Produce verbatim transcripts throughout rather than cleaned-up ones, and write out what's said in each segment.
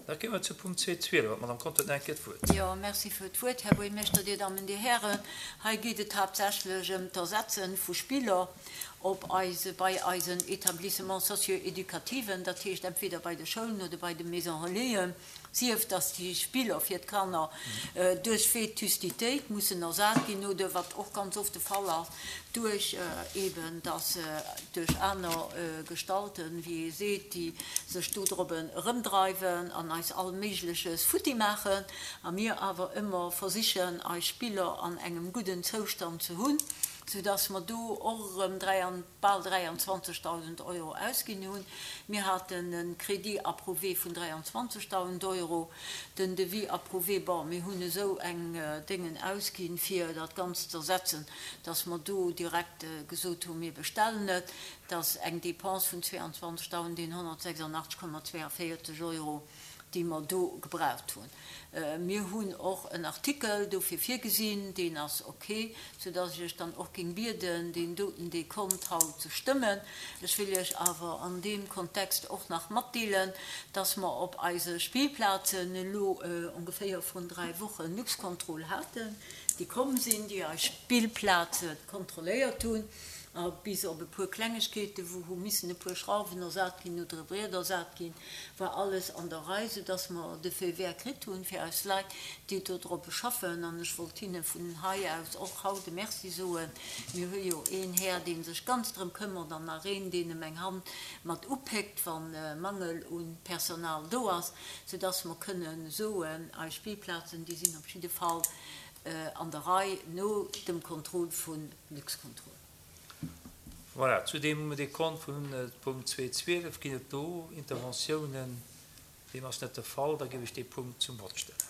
Da kéime mer zu Punkt zwee zwielef. D'Madame Conter huet nach eng Kéier d'Wuert. Jo, merci fir d'Wuert, Här Buergermeeschter, Dir Dammen, Dir Hären. Hei geet et haaptsächlech ëm d'Ersetze vu Spiller op eise, bei eisen Établissements socio-éducativen, dat heescht entweder bei de Schoulen oder bei de Maisons relaisen. Sief dass déi Spiller fir d'Kanner duerch Vétustitéit mussen ersat ginn oder, wat och ganz oft de Fall ass, duerch eben dass duerch aner Gestalten, wéi ee seet, déi sech dodrobben erëmdreiwen an eis all Méigleches futti maachen a mir awer ëmmer versichen, eis Spiller an engem gudden Zoustand ze hunn, soudass mer do och erëm bal dräianzwanzegdausend Euro ausginn hunn. Mir haten e Crédit approuvé vun dräianzwanzegdausend Euro, den Devis approuvé, bon, mir hunn esou eng Déngen ausginn, fir dat Ganzt ze ersetzen, dass mer do direkt gesot hunn, mir bestellen et. Dat ass eng Dépense vun zweiundzwanzegdausendeenhonnertsechsundachtzeg Komma zweiundvierzig Euro, déi mer do gebraucht hunn. Mir hunn och en Artikel dofir virgesinn, deen ass ok, soudass ech Iech dann och géing bieden, deen doten Dekont haut ze stëmmen. Ech wéll Iech awer an deem Kontext och nach matdeelen, dass mer op eise Spillplazen elo ongeféier vrun dräi Wochen Luxcontrol haten, déi komm sinn, déi eis Spillplaze kontrolléiert hunn. A bis op e puer Klengegkeeten, wou hu missen e puer Schrauwen ersat ginn oder e Briet ersat ginn, war alles an der Rei, soudass mer de Feu vert kritt hunn fir eis Leit, déi do drop schaffen. An ech wollt hinne vun hei aus och haut e Merci soen. Mir hu jo een Här, dee sech ganz drëm këmmert, an nach een, deen em eng Hand mat upéckt, wa Mangel u Personal do ass, soudass mer kënnen soen, eis Spillplazen, déi sinn op jidde Fall an der Rei no dem Contrôle vu Luxcontrol. Voilà, zu deem Dekont vun Punkt zwee zwielef ginn et do Interventiounen. Deem ass net de Fall. Da géif ech dee Punkt zum Vott stellen.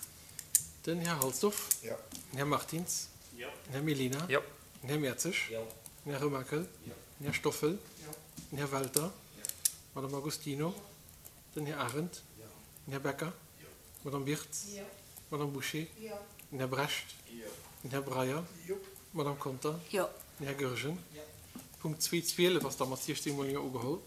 Den Här Halsdorf. Jo. Den Här Martins. Jo. Den Här Mellina. Jo. Den Här Mertzig. Jo. Den Här Remakel. Jo. Den Här Stoffel. Jo. Den Här Welter. Jo. D'Madame Agostino. Den Här Arendt. Jo. Den Här Becker. Jo. D'Madame Birtz. Jo. D'Madame Bouché. Jo. Den Här Brecht. Jo. Den Här Breyer. Jo. D'Madame Conter. Jo. Den Här Goergen. Jo. Punkt zwee zwielef ass da mat siechzéng mol Jo ugeholl.